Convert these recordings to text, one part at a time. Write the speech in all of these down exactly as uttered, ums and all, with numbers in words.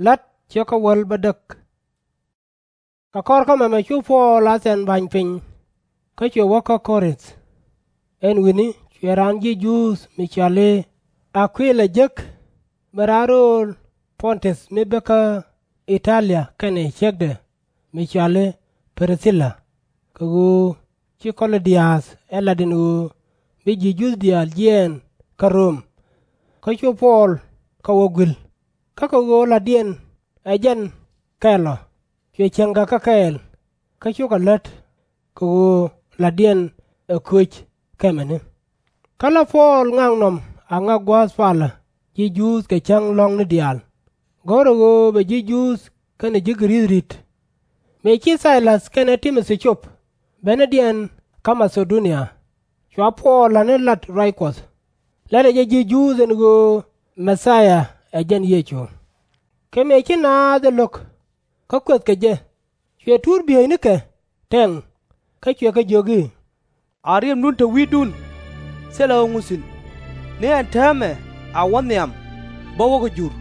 La̱t ciek kä wäl bädäk. Kɛ kɔr kä mɛmɛ cu Puɔl a thɛn ba̱ny piny, kä cuɛ wä kä Kɔ-rinth. Ɛn wi̱ni cuɛ raan ji̱ Juudh mi cɔal i̱ A-kuila jek, min raan rööl Pɔn-täth mi bi kä I-ta-lia, kɛnɛ ciekdɛ mi cɔal i̱ Pir-thila, kɛ ɣöö ci Kɔ-lö-di-ath ɛ lat ɛn ɣöö bi ji̱ Juudh diaal jiɛɛn kä Röm. Kä cu Puɔl kɛ wä gui̱l, kä kɛ ɣöö la̱tdiɛn ɛ jɛn kɛl ɔ, cuɛ cieŋ kɛ kɛ kɛɛl, kä cukɛ lät, kɛ ɣöö la̱tdiɛn ɛ köc kɛ mɛni. Kä la Puɔl ŋaknɔm a ŋak gua̱a̱th palä ji̱ Juudh kɛ cäŋ lɔ̱ŋni diaal, go̱rɛ ɣöö bɛ ji̱ Juudh kɛnɛ ji̱ Gɛ-rith ri̱t. Mëë ci Thay-läth kɛnɛ Ti-mo-thi cop benidiɛn kä Ma-tha-do-nia, cua Puɔl la̱t ni lat ruac Kuɔth, lɛlɛ jɛ ji̱ Juudh ɛn ɣöö Mɛ-thia ɛ jɛn Yecu. Kɛ mëë ci naath ɛ lo̱k, kä kuɛthkɛ jɛ, cuɛ tuut bieynikɛ tɛŋ, kä cuɛ kɛ jiök i̱, A riɛmdun te wi̱i̱dun, thilɛ ɣä ŋu thi̱n, ni ɛn täämɛ a wä nhiam bä wä kɛ jur.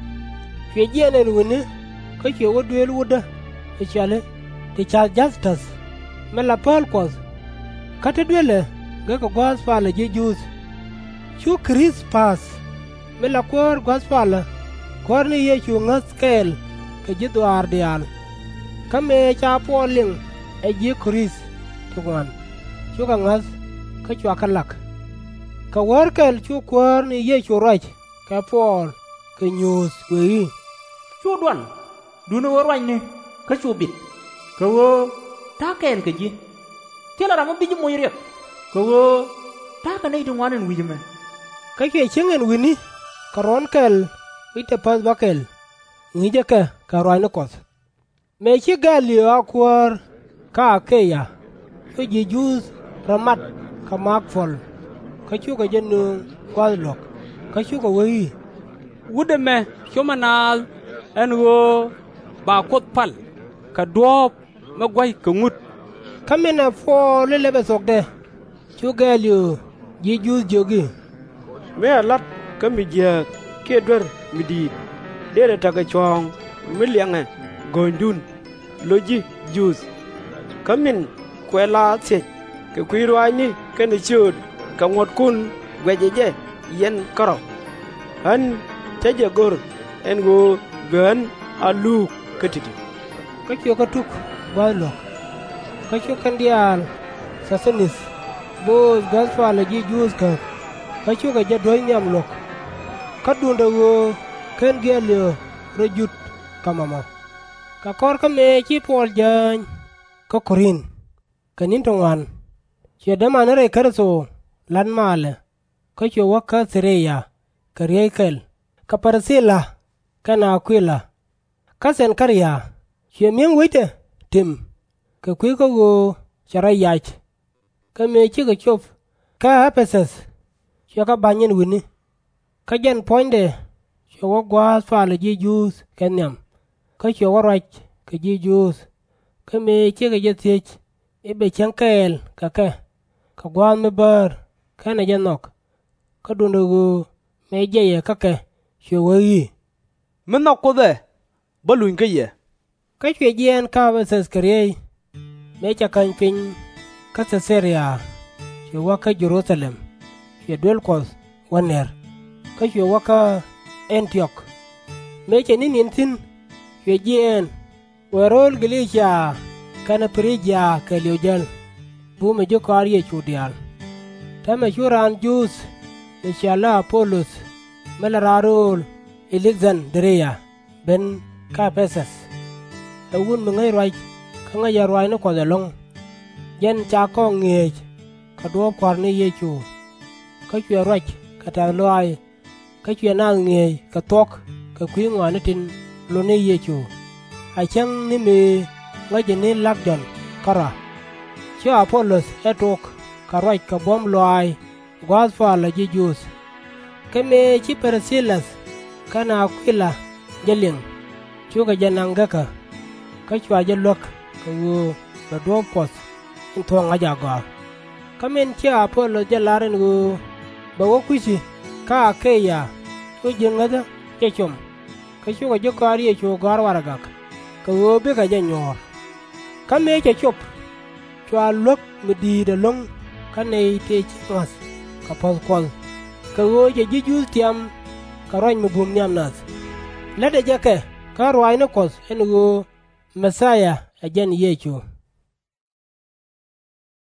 Cuɛ jiɛɛn ɛn wi̱ni, kä cuɛ wä duëël wutdä mi cɔal i̱ Ti-cath-jäth-täth, min la pääl Kuɔth, kä te duelɛ gekä gua̱a̱th palä ji̱ Juudh. Cu Kɛ-rith-päth, min la kuäär gua̱a̱th palä Kuäär ni Yecu ŋäth kɛɛl kɛ ji̱ dhɔaar diaal. Kä mëë ca Puɔl liŋ ɛ ji̱ Kɔ-rinth ti ŋuan, cukɛ ŋäth, kä cua kɛ lak. Kɛ wäär kɛl cu Kuäär ni Yecu ruac kɛ Puɔl kɛ nyuuth wëë i̱, Cu dual, duundɛ ɣöö ruacni kä cu bit, kɛ ɣöö ta̱a̱ kɛɛl kɛ ji̱. Thilɛ ram mi bi ji̱ moc riɛk, kɛ ɣöö ta̱a̱ kɛ nɛy ti ŋuan ɛn wi̱c ɛmɛ. Kä cuɛ cieŋ ɛn wi̱ni kɛ ruɔ̱n kɛl wi̱cdɛ päth bäkɛl, ŋi̱i̱cɛ kɛ kɛ ruaacni Kuɔth. Mëë ci Gay-lio a kuäär kä A-ke-ya, cu ji̱ Juudh rɔ mat kɛ maak puɔ̱l, kä cukɛ jɛ nöŋ gua̱a̱th luɔ̱k, kä cukɛ wee i̱, Wut ɛmɛ cop ɛ naath ɛn ɣöö ba Kuoth pal kɛ duɔ̱ɔ̱p mi gua̱c kɛ ŋut. Kä min ɛ Puɔl i̱ lɛpɛ thuɔkdɛ, cu Gay-lio ji̱ Juudh jiök i̱, Mi ɛ la̱t kä mi jiääk kiɛ duer mi di̱i̱t, dërɛ tekɛ cuɔ̱ɔ̱ŋ mi liɛŋɛ go̱o̱nydun, lo̱c ji̱ Juudh. Kä min kuɛ la thiec kɛ kui̱ ruaacni kɛnɛ ciööt kɛ ŋuɔ̱tkun guɛcɛ jɛ yɛn kärɔ̱. Ɣän cä jɛ go̱r ɛn ɣöö bi ɣän a luuk kä ti̱ti̱. Kä cuɛ kɛ tuk gua̱a̱th luɔ̱k. Kä cu kɛn diaal Sɔth-thö-nith bööth gua̱a̱th palä ji̱ Juudh käp, kä cukɛ jɛ duäc nhiam luɔ̱k. Kä duundɛ ɣöö /ken Gay-lio rɔ jut kɛ mɔmɔ. Kɛ kɔr kä mëë ci Puɔl jääny kä Ko-rinth kɛ ni̱n ti ŋuan, cuɛ dämani rɛy Kritho la̱t malɛ, kä cuɛ wä kä Thi-ri-ya kɛ riey kɛl kɛ Pir-thila kɛnɛ A-kuila. Kä Kɛn-kɛ-ria cuɛ mi̱eeŋ wecdɛ tim, kɛ kui̱ kä ɣöö cɛ rɔ yac. Kä mëë cikɛ cop kä Ɛ-pɛ-thäth, cuɛ kɛ ba̱ny ɛn wi̱ni. Kä jɛn puɔ̱nydɛ cuɛ wä gua̱a̱th palä ji̱ Juudh kɛ nhiam, kä cuɛ wä ruac kɛ ji̱ Juudh. Kä mëë cikɛ jɛ thiec i̱ bɛ cieŋ kɛɛl kɛ kɛ kɛ gua̱a̱th mi bäär kɛnɛ jɛ nhɔk, kä duundɛ ɣöö mëë jiɛcɛ kä kɛ, cuɛ wee i̱, Mi nhɔk Kuoth ɛ, bä luny kä yɛ. Kä cuɛ jiɛɛn kä Ɛ-pɛ-thäth kɛ riey. Mëë cɛ käny piny kä Thɛ-da-ria, cuɛ wä kä Jɛ-ru-tha-lɛm, cuɛ duel Kuɔth wä nɛr. Kä cuɛ wä kä Ɛn-ti-ɔk. Mëë cɛ ni̱n in thi̱n, cuɛ jiɛɛn wëë ro̱o̱l Gä-li-cia kɛnɛ Pɛ-ri-jia kɛɛliw jäl, bumɛ ji̱ kɔaar Yecu diaal. Täämɛ cu raan Juudh mi cɔal i̱ A-po-loth, min la raan rööl Ɛ-lek-dhan-dɛ-ri-ya, ben kä Ɛ-pɛ-thäth. Ɛ wut mi ŋäc ruac kä ŋäcɛ ruaacni Kuɔth ɛlɔ̱ŋ. Jɛn ca kɔŋ ŋi̱eec kɛ duɔ̱ɔ̱p Kua̱r ni Yecu. Kä cuɛ ruac kɛ tɛ̈th lɔaac, kä cuɛ naath ŋi̱eec kɛ thuɔ̱k kɛ kui̱ ŋɔaani tin lot ni Yecu, a cäŋ ni mëë ŋäcɛ ni Lak Jɔ̱ɔ̱n kärɔa. Cu A-po-loth ɛ tok kɛ ruac kɛ buɔ̱m lɔaac gua̱a̱th palä ji̱ Juudh. Kä mëë ci Pir-thi-läth kɛnɛ A-kui-la jɛ liŋ, cukɛ jɛ naŋ gekä, kä cua jɛ luäk kɛ ɣöö bɛ duɔ̱ɔ̱p Kuɔth in thuɔ̱k ŋa̱c agɔaa. Kä min ci A-po-loth jɛ lar ɛn ɣöö bɛ wä kui̱ci kä A-ke-ya, cu ji̱ ŋäthä jɛ com, kä cukɛ ji̱ kɔaar Yecu gɔ̱a̱r warɛgak, kɛ ɣöö bikɛ jɛ nyuɔ̱ɔ̱r. Kä mëë cɛ cop, cua luäk mi di̱i̱t ɛlɔ̱ŋ kä nɛy tëë ci ŋɔ̱a̱th kɛ puɔ̱th Kuɔth, kɛ ɣöö cɛ ji̱ Juudh tiam kɛ ruac mi bum nhiam nath. Lätdɛ jɛ kɛ kä ruaacni Kuɔth ɛn ɣöö Mɛ-thia ɛ jɛn Yecu.